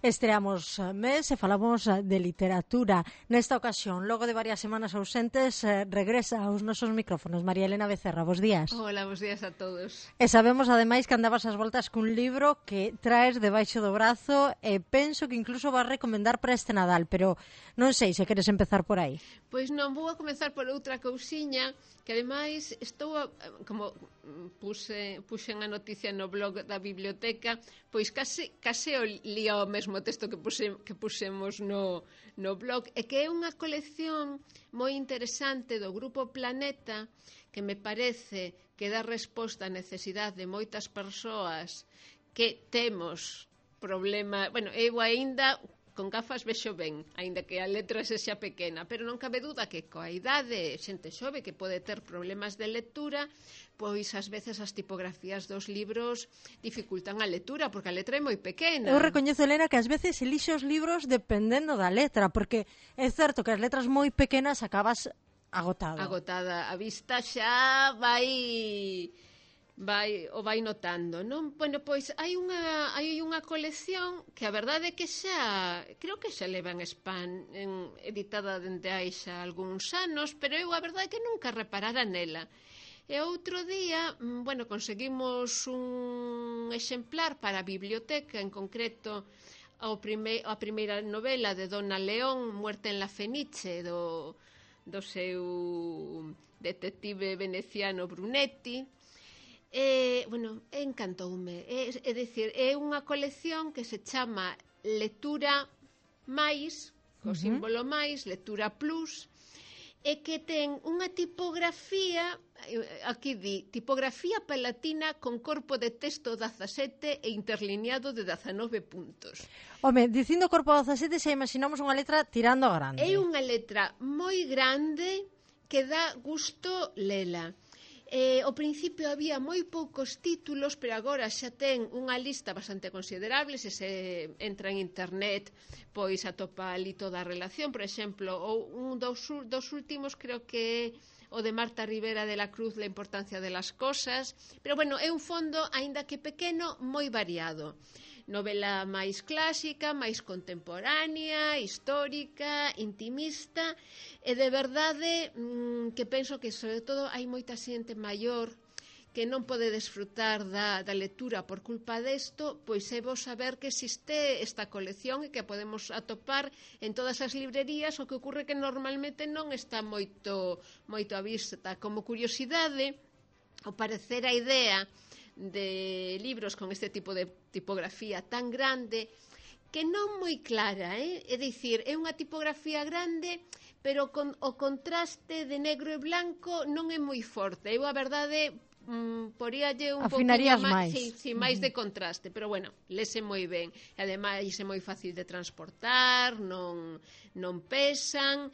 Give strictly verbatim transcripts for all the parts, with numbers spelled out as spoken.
Estreamos mes e falamos de literatura. Nesta ocasión, logo de varias semanas ausentes, regresa aos nosos micrófonos María Elena Becerra. Bos días. Hola, bos días a todos. E sabemos, ademais, que andabas ás voltas cun libro que traes debaixo do brazo e penso que incluso vas recomendar para este Nadal, pero non sei se queres empezar por aí. Pois non, vou a comenzar por outra cousiña que ademais estou, a, como puse, puxen a noticia no blog da biblioteca, pois case, case o li ao mesmo texto que, puse, que pusemos no, no blog, e que é unha colección moi interesante do Grupo Planeta que me parece que dá resposta á necesidade de moitas persoas que temos problema, bueno, eu aínda con gafas vexo ben, aínda que a letra se xa pequena, pero non cabe duda que coa idade, xente xove que pode ter problemas de lectura, pois ás veces as tipografías dos libros dificultan a lectura, porque a letra é moi pequena. Eu recoñezo, Elena, que ás veces elixe os libros dependendo da letra, porque é certo que as letras moi pequenas acabas agotado. Agotada, a vista xa vai... vai o vai notando, non? Bueno, pois hai unha hai unha colección que a verdade é que xa creo que xa leva en Spam en, editada dende hai xa algúns anos, pero eu a verdade é que nunca reparara nela. E outro día, bueno, conseguimos un exemplar para a biblioteca, en concreto ao prime, a primeira novela de Donna León, Muerte en la Fenice, do, do seu detective veneciano Brunetti. Eh, bueno, encantoume. É, é dicir, é unha colección que se chama Lectura máis, co uh-huh. símbolo máis, Lectura plus, e que ten unha tipografía, aquí di, tipografía palatina con corpo de texto dezasete e interlineado de dezanove puntos. Home, dicindo corpo dezasete, xa imaginamos unha letra tirando a grande. É unha letra moi grande que dá gusto lela. Eh, ao principio había moi poucos títulos, pero agora xa ten unha lista bastante considerable. Se se entra en internet, pois atopa ali toda a relación. Por exemplo, ou un dos, dos últimos creo que o de Marta Rivera de la Cruz, La importancia de las cosas. Pero bueno, é un fondo, aínda que pequeno, moi variado. Novela máis clásica, máis contemporánea, histórica, intimista, e de verdade mmm, que penso que sobre todo hai moita xente maior que non pode desfrutar da, da lectura por culpa desto, pois é bo saber que existe esta colección e que podemos atopar en todas as librerías, o que ocurre que normalmente non está moito, moito a vista. Como curiosidade, ao parecer a idea de libros con este tipo de tipografía tan grande que non moi clara, eh? É dicir, é unha tipografía grande, pero con o contraste de negro e blanco non é moi forte. Eu a verdade mm, poríalle un afinarías poquinho máis, sí, sí, máis uh-huh. de contraste, pero bueno, lese moi ben. E ademais é moi fácil de transportar, non non pesan.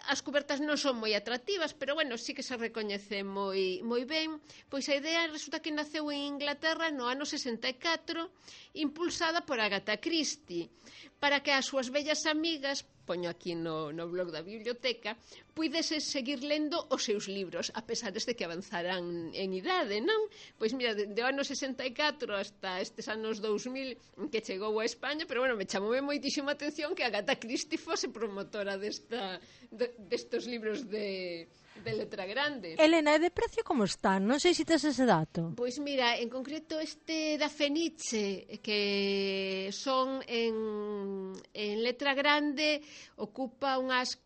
As cubertas non son moi atractivas, pero bueno, sí que se recoñece moi moi ben. Pois a idea resulta que naceu en Inglaterra no ano sesenta e catro, impulsada por Agatha Christie, para que as súas vellas amigas, poño aquí no, no blog da biblioteca, puidese seguir lendo os seus libros, a pesar de que avanzaran en idade, non? Pois mira, de, de ano sesenta e catro hasta estes anos dous mil que chegou a España, pero bueno, me chamoume moitísima atención que Agatha Christie fose promotora desta, de, destos libros de, de letra grande. Elena, e de precio como están? Non sei se tes ese dato. Pois mira, en concreto este da Fenice, que son en, en letra grande, ocupa unhas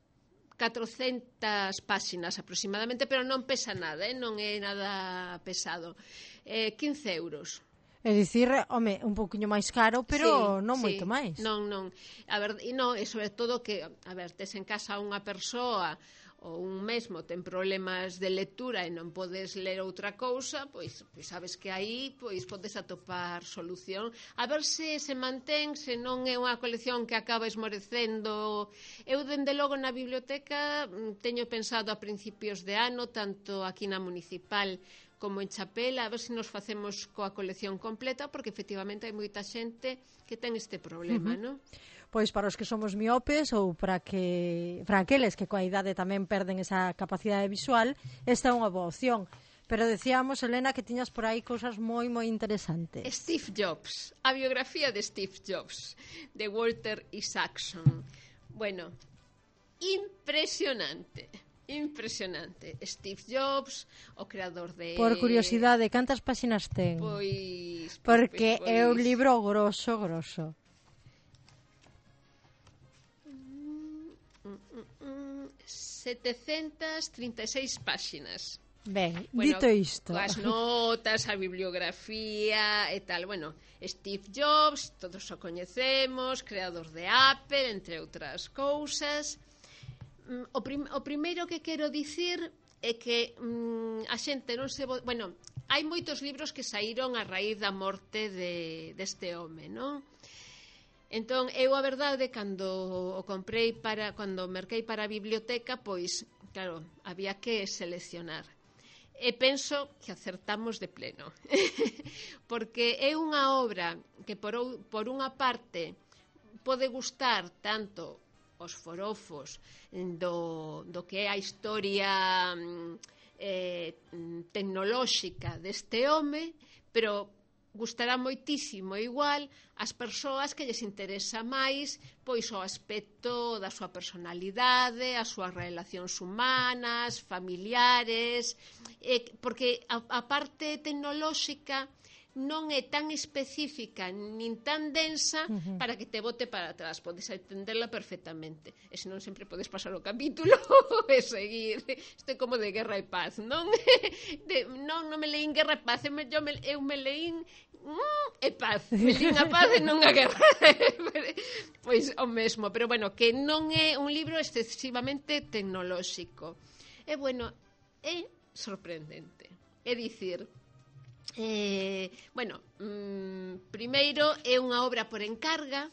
catrocentas páxinas aproximadamente, pero non pesa nada, eh? Non é nada pesado. Eh, quince euros. É dicir, home, un pouquiño máis caro, pero sí, non sí, moito máis. Non, non. A ver, e non, e sobre todo que, a ver, tes en casa unha persoa ou un mesmo ten problemas de lectura e non podes ler outra cousa, pois, pois sabes que aí pois podes atopar solución. A ver se se mantén, se non é unha colección que acaba esmorecendo. Eu, dende logo, na biblioteca teño pensado a principios de ano, tanto aquí na municipal como en Chapela, a ver se nos facemos coa colección completa, porque efectivamente hai moita xente que ten este problema, uh-huh. non? Pois para os que somos miopes ou para que para aqueles que coa idade tamén perden esa capacidade visual, esta é unha boa opción. Pero decíamos, Elena, que tiñas por aí cousas moi, moi interesantes. Steve Jobs, a biografía de Steve Jobs, de Walter Isaacson. Bueno, impresionante, impresionante. Steve Jobs, o creador de... Por curiosidade, cantas páxinas ten? Pois... Porque pois, pois, é un libro grosso, grosso. setecentas trinta e seis páxinas. Ben, bueno, dito isto, as notas, a bibliografía e tal. Bueno, Steve Jobs, todos o coñecemos, creador de Apple, entre outras cousas. O, prim o primeiro que quero dicir é que mm, a xente non se... Bueno, hai moitos libros que saíron a raíz da morte de, deste home, non? Entón, eu a verdade, cando o comprei para, cando merquei para a biblioteca, pois, claro, había que seleccionar. E penso que acertamos de pleno. Porque é unha obra que, por, por unha parte, pode gustar tanto os forofos do, do que é a historia eh, tecnolóxica deste home, pero gustará moitísimo igual as persoas que lles interesa máis pois o aspecto da súa personalidade, as súas relacións humanas, familiares, eh, porque a, a parte tecnolóxica non é tan específica nin tan densa uh-huh. para que te bote para atrás, podes entenderla perfectamente, e senón sempre podes pasar o capítulo e seguir. Isto é como de Guerra e Paz, non? De, non, non me leín Guerra e Paz, eu me, eu me, eu me leín mm, e Paz, me leín a paz e non a guerra. Pois o mesmo, pero bueno, que non é un libro excesivamente tecnolóxico. E bueno, é sorprendente. É dicir, Eh, bueno, mm, primeiro é unha obra por encarga.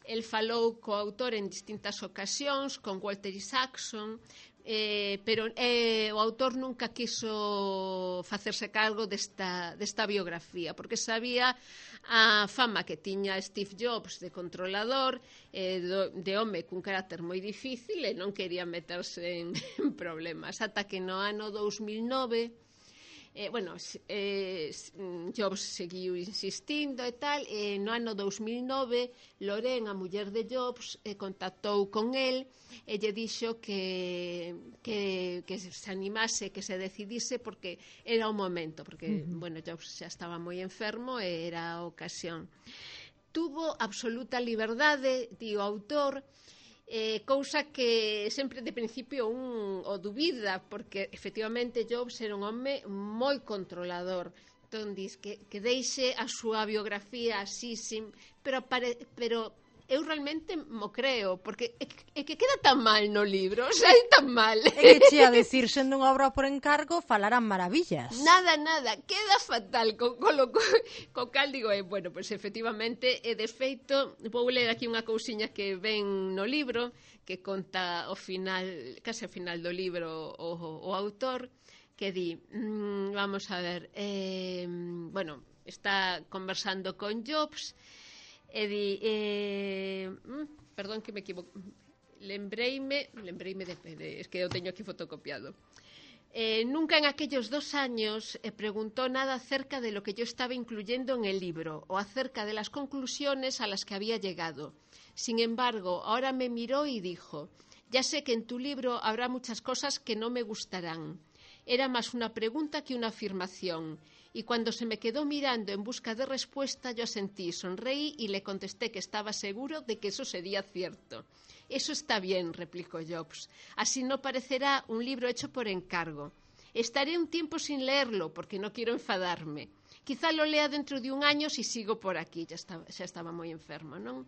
El falou co autor en distintas ocasións, con Walter Isaacson, eh, pero eh, o autor nunca quiso facerse cargo desta, desta biografía, porque sabía a fama que tiña Steve Jobs de controlador, eh, do, de home cun carácter moi difícil, e non quería meterse en, en problemas, ata que no ano dous mil nove... Eh, bueno, eh, Jobs seguiu insistindo e tal, e no ano dous mil nove Loren, a muller de Jobs, eh, contactou con el e lle dixo que, que, que se animase, que se decidise, porque era o momento, porque, uh-huh. bueno, Jobs xa estaba moi enfermo e era a ocasión. Tuvo absoluta liberdade, di o autor, Eh, cousa que sempre de principio un o dubida, porque efectivamente Jobs era un home moi controlador. Entón dis que, que deixe a súa biografía así, sin, pero, pare, pero eu realmente mo creo, porque é, é que queda tan mal no libro, o sea, é tan mal. É que che a decir, sendo unha obra por encargo, falarán maravillas. Nada, nada, queda fatal, co, co, co, co cal digo, eh, bueno, pois pues, efectivamente, e de feito, vou ler aquí unha cousiña que ven no libro, que conta o final, case ao final do libro o, o autor, que di, mmm, vamos a ver, eh, bueno, está conversando con Jobs, e di eh, mm, perdón que me equivoco, lembreime lembreime de, de, es que eu teño aquí fotocopiado. Eh, nunca en aquellos dos años eh, preguntó nada acerca de lo que yo estaba incluyendo en el libro o acerca de las conclusiones a las que había llegado. Sin embargo, ahora me miró y dijo: ya sé que en tu libro habrá muchas cosas que no me gustarán. Era más una pregunta que una afirmación. Y cuando se me quedó mirando en busca de respuesta, yo asentí, sonreí y le contesté que estaba seguro de que eso sería cierto. Eso está bien, replicó Jobs. Así no parecerá un libro hecho por encargo. Estaré un tiempo sin leerlo porque no quiero enfadarme. Quizá lo lea dentro de un año si sigo por aquí. Ya estaba, xa estaba moi enfermo, non?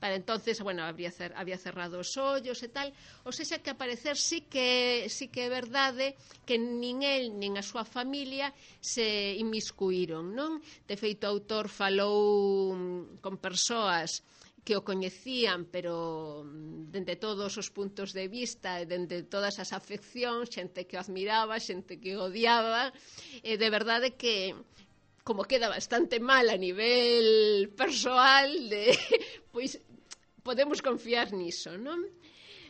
Para entonces, bueno, habría cer, había cerrado os ollos e tal. O sea, que a parecer sí que, sí que é verdade que nin el nin a súa familia se inmiscuíron, non? De feito, o autor falou con persoas que o coñecían, pero dende todos os puntos de vista e dende todas as afeccións, xente que o admiraba, xente que o odiaba, e de verdade que como queda bastante mal a nivel persoal, de, pois podemos confiar niso, non?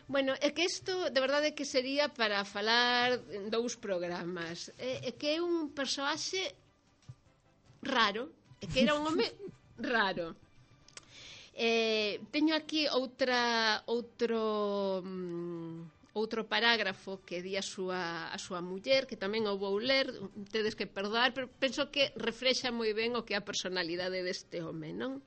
Bueno, é que isto, de verdade, que sería para falar dous programas. É, é que é un persoaxe raro, é que era un home raro. Eh, teño aquí outra outro mm, outro parágrafo que di a súa, a súa muller, que tamén o vou ler, tedes que perdoar, pero penso que reflexa moi ben o que é a personalidade deste home, non?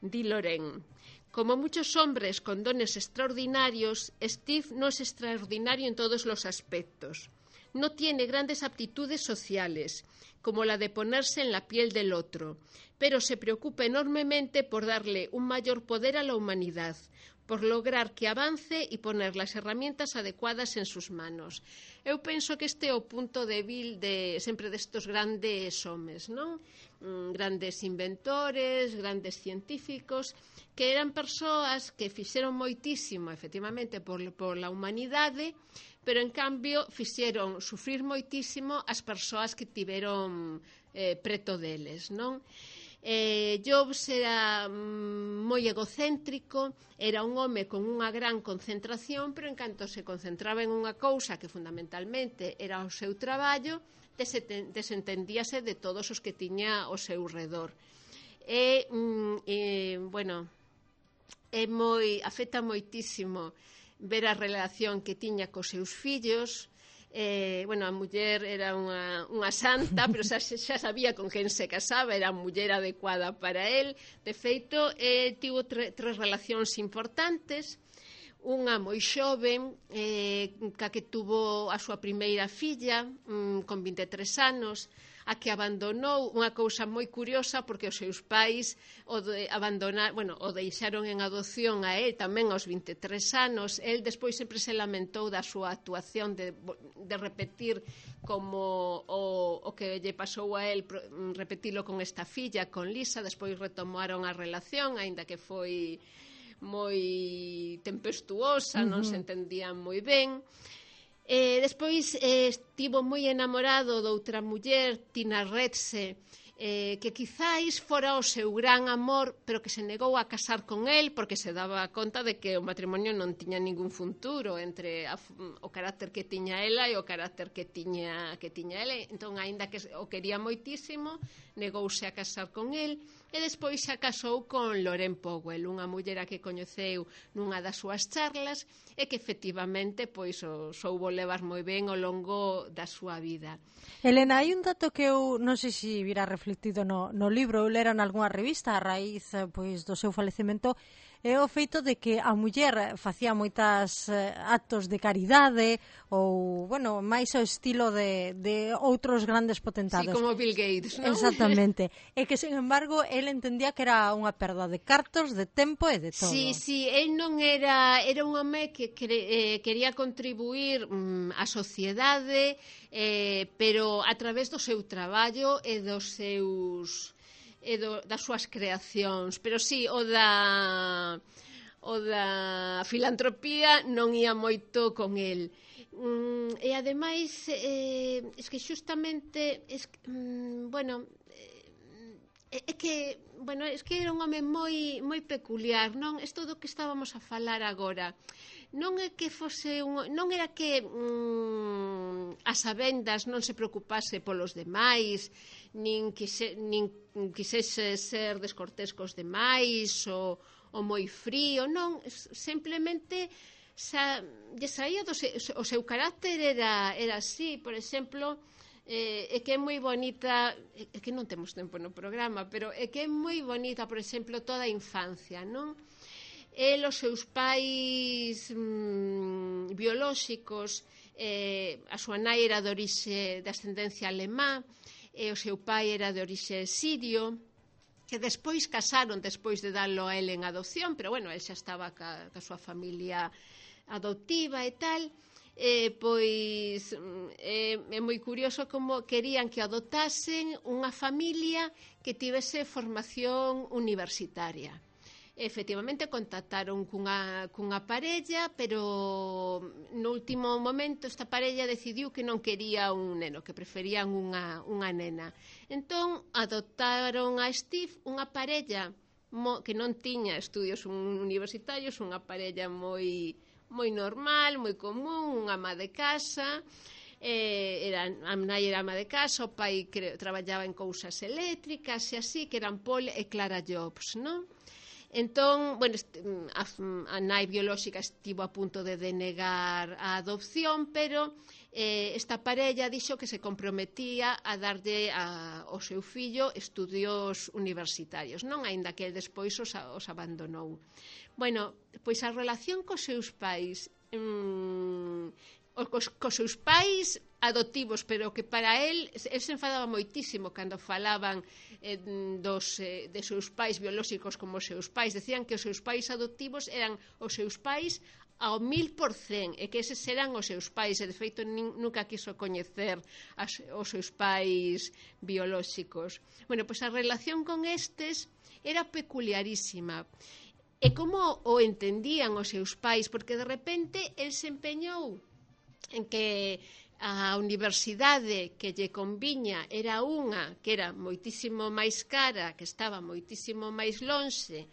Di Loren: como muchos hombres con dones extraordinarios, Steve no es extraordinario en todos los aspectos. No tiene grandes aptitudes sociales, como la de ponerse en la piel del otro, pero se preocupa enormemente por darle un mayor poder a la humanidad, por lograr que avance y poner las herramientas adecuadas en sus manos. Eu penso que este é o punto débil de sempre destos grandes homes, non? Mm, grandes inventores, grandes científicos, que eran persoas que fixeron moitísimo, efectivamente, por, por la humanidade, pero en cambio fixeron sufrir moitísimo as persoas que tiveron eh, preto deles, non? Eh, Jobs era mm, moi egocéntrico, era un home con unha gran concentración, pero en canto se concentraba en unha cousa que fundamentalmente era o seu traballo, desentendíase de todos os que tiña ao seu redor. E, mm, e bueno, é moi, afecta moitísimo ver a relación que tiña cos seus fillos. Eh, bueno, a muller era unha, unha santa, pero xa, xa sabía con quen se casaba, era a muller adecuada para él. De feito, eh, tivo tre, tres relacións importantes. Unha moi xoven, eh, ca que tuvo a súa primeira filla, mm, con vinte e tres anos, a que abandonou, unha cousa moi curiosa, porque os seus pais o de abandonar, bueno, o deixaron en adopción a él tamén aos vinte e tres anos. El despois sempre se lamentou da súa actuación de, de repetir como o, o que lle pasou a él, repetilo con esta filla, con Lisa. Despois retomaron a relación, aínda que foi moi tempestuosa, uh-huh. non se entendían moi ben. Eh, despois eh, estivo moi enamorado doutra muller, Tina Retze, eh, que quizáis fora o seu gran amor, pero que se negou a casar con el porque se daba conta de que o matrimonio non tiña ningún futuro entre a, o carácter que tiña ela e o carácter que tiña, que tiña ela. Entón, aínda que o quería moitísimo, negouse a casar con el. E despois xa casou con Loren Powell, unha muller a que coñeceu nunha das súas charlas e que efectivamente pois o soubo levar moi ben ao longo da súa vida. Elena, hai un dato que eu non sei se virá reflectido no, no libro, eu lera nalgúna revista a raíz pois do seu falecemento, é o feito de que a muller facía moitas eh, actos de caridade ou, bueno, máis ao estilo de, de outros grandes potentados. Sí, como Bill Gates, non? Exactamente. E que, sin embargo, el entendía que era unha perda de cartos, de tempo e de todo. Sí, sí, el non era... Era un home que cre, eh, quería contribuir mm, á sociedade, eh, pero a través do seu traballo e dos seus... e do, das súas creacións, pero sí, o da o da filantropía non ia moito con el. Mm, e ademais eh, es que xustamente es, mm, bueno, eh, é que bueno, es que era un home moi moi peculiar, non? Isto do que estábamos a falar agora. Non é que fose un, non era que mm, as sabendas non se preocupase polos demais, nin, quise, nin quisese ser descortés cos demais ou, ou moi frío, non, simplemente sa, lle saía do se, o seu carácter era, era así. Por exemplo, eh, é que é moi bonita, é que non temos tempo no programa, pero é que é moi bonita, por exemplo, toda a infancia, non? El, os seus pais mmm, biolóxicos, eh, a súa nai era de orixe de ascendencia alemá, e o seu pai era de orixe sirio, que despois casaron despois de darlo a el en adopción, pero bueno, el xa estaba ca, ca súa familia adoptiva e tal. Eh, pois eh, é moi curioso como querían que adoptasen unha familia que tivese formación universitaria. Efectivamente contactaron cunha, cunha parella, pero no último momento esta parella decidiu que non quería un neno, que preferían unha, unha nena. Entón adoptaron a Steve, unha parella mo, que non tiña estudios universitarios, unha parella moi moi normal, moi común, unha ama de casa, eh, era, a nai era ama de casa, o pai creo, traballaba en cousas eléctricas e así, que eran Paul e Clara Jobs, non? Entón, bueno, a, a nai biolóxica estivo a punto de denegar a adopción, pero eh, esta parella dixo que se comprometía a darlle a, ao seu fillo estudios universitarios, non? Aínda que el despois os, os abandonou. Bueno, pois a relación cos seus pais, mmm, cos, cos seus pais adoptivos, pero que para el, el se enfadaba moitísimo cando falaban eh, dos, eh, de seus pais biolóxicos como os seus pais. Decían que os seus pais adoptivos eran os seus pais ao mil por cen, e que eses eran os seus pais, e de feito nin, nunca quiso coñecer as, os seus pais biolóxicos. Bueno, pois a relación con estes era peculiarísima. E como o entendían os seus pais, porque de repente el se empeñou en que a universidade que lle conviña era unha que era moitísimo máis cara, que estaba moitísimo máis lonxe,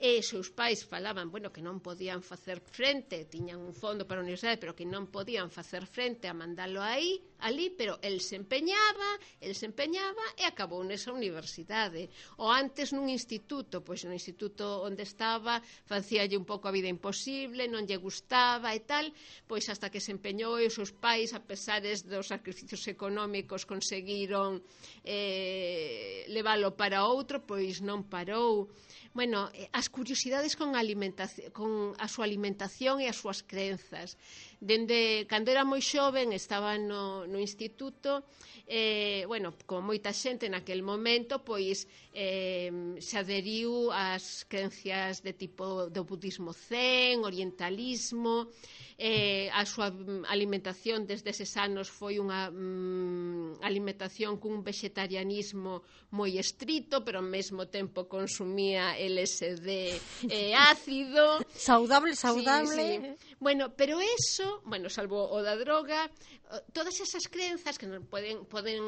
e seus pais falaban, bueno, que non podían facer frente, tiñan un fondo para a universidade, pero que non podían facer frente a mandalo aí, ali, pero el se empeñaba, el se empeñaba e acabou nesa universidade. Ou antes nun instituto, pois no instituto onde estaba, facíalle un pouco a vida imposible, non lle gustaba e tal, pois hasta que se empeñou e os seus pais, a pesares dos sacrificios económicos, conseguiron eh, leválo para outro, pois non parou. Bueno, as curiosidades con a alimentación, con a súa alimentación e as súas crenzas. Dende cando era moi xoven, estaba no, no instituto, eh, bueno, como moita xente naquel momento, pois eh, se adheriu ás creencias de tipo do budismo zen, orientalismo, eh, a súa alimentación desde eses anos foi unha mm, alimentación cun vegetarianismo moi estrito, pero ao mesmo tempo consumía L S D eh, ácido. Saudable, saudable. Sí, sí. Bueno, pero eso, bueno, salvo o da droga, todas esas crenzas que non poden, poden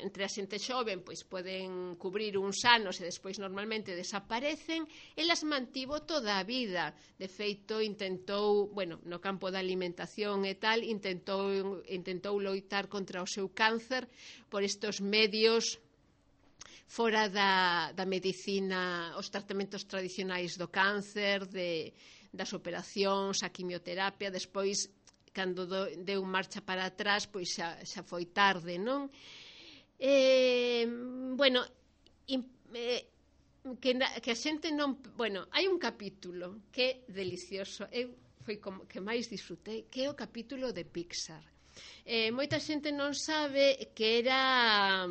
entre a xente xoven, pois poden cubrir uns anos e despois normalmente desaparecen, elas mantivo toda a vida. De feito, intentou, bueno, no campo da alimentación e tal, intentou, intentou loitar contra o seu cáncer por estos medios fora da, da medicina, os tratamentos tradicionais do cáncer, de, das operacións, a quimioterapia. Despois, cando do, deu marcha para atrás, pois xa, xa foi tarde, non? Eh, bueno, in, eh, que, que a xente non... Bueno, hai un capítulo que é delicioso, eu foi como que máis disfrutei, que é o capítulo de Pixar. Eh, moita xente non sabe que era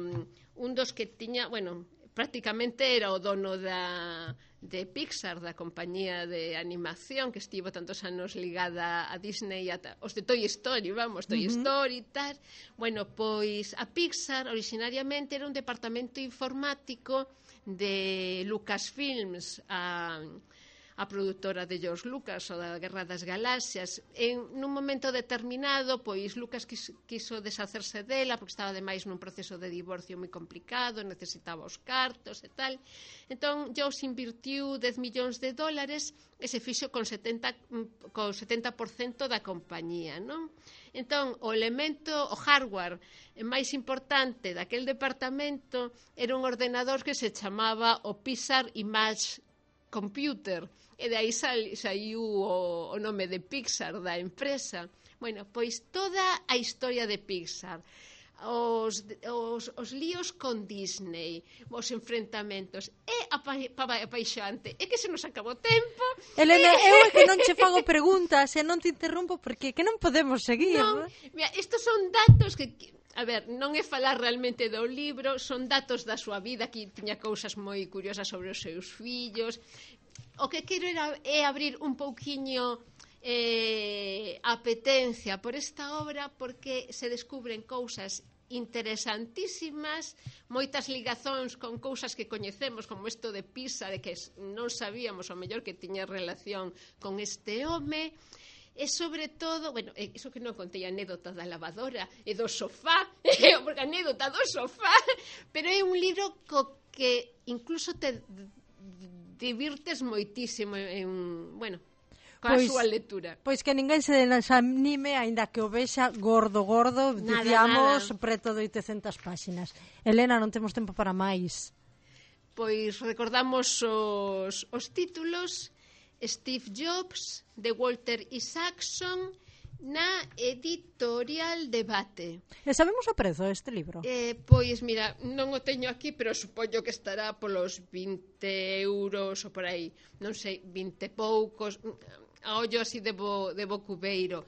un dos que tiña, bueno, prácticamente era o dono da, de Pixar, da compañía de animación que estivo tantos anos ligada a Disney, a, os de Toy Story, vamos, Toy uh-huh. Story e tal. Bueno, pois a Pixar originariamente era un departamento informático de Lucasfilms, a... a produtora de George Lucas ou da Guerra das Galaxias. En nun momento determinado, pois Lucas quiso, quiso deshacerse dela porque estaba ademais nun proceso de divorcio moi complicado, necesitaba os cartos e tal. Entón, George invirtiu dez millóns de dólares e se fixo con setenta, con setenta por cento da compañía, non? Entón, o elemento, o hardware máis importante daquel departamento era un ordenador que se chamaba o Pixar Image Computer, e de aí saiu o, o nome de Pixar da empresa. Bueno, pois toda a historia de Pixar, os, os, os líos con Disney, os enfrentamentos, é apaixonante. É que se nos acabou tempo. Elena, eu é que non che fago preguntas e non te interrompo porque que non podemos seguir. Non, mira, estos son datos que... A ver, non é falar realmente do libro, son datos da súa vida, que tiña cousas moi curiosas sobre os seus fillos. O que quero era, é abrir un pouquiño eh, a apetencia por esta obra, porque se descubren cousas interesantísimas, moitas ligazóns con cousas que coñecemos, como isto de Pisa, de que non sabíamos o mellor que tiña relación con este home. E sobre todo, bueno, iso que non contei a anécdota da lavadora e do sofá, porque a anécdota do sofá, pero é un libro co que incluso te divirtes moitísimo en, bueno. coa Pois- súa lectura. Pois que ninguén se desanime, aínda que o vexa gordo, gordo, Nada, dicíamos, nada. preto de oitocentas páxinas. Elena, non temos tempo para máis. Pois recordamos os, os títulos: Steve Jobs, de Walter Isaacson, na editorial Debate. E sabemos o prezo deste libro? Eh, pois, mira, non o teño aquí, pero supoño que estará polos vinte euros ou por aí, non sei, vinte poucos, a ollo así de, bo, de bo cubeiro,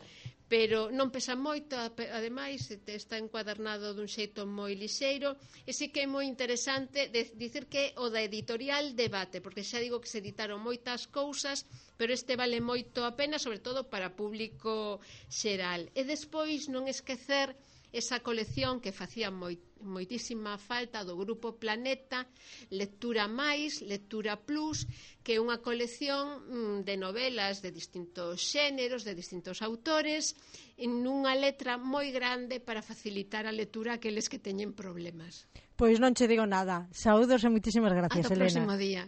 pero non pesa moito, ape- ademais te- está encuadernado dun xeito moi lixeiro, e sí que é moi interesante de, dicir que o da editorial Debate, porque xa digo que se editaron moitas cousas, pero este vale moito a pena, sobre todo para público xeral. E despois non esquecer esa colección que facía moi, moitísima falta do Grupo Planeta, Lectura Máis, Lectura Plus, que é unha colección mm, de novelas de distintos xéneros, de distintos autores, en unha letra moi grande para facilitar a lectura a aqueles que teñen problemas. Pois non che digo nada. Saúdos e moitísimas gracias, Ata o Elena. próximo día.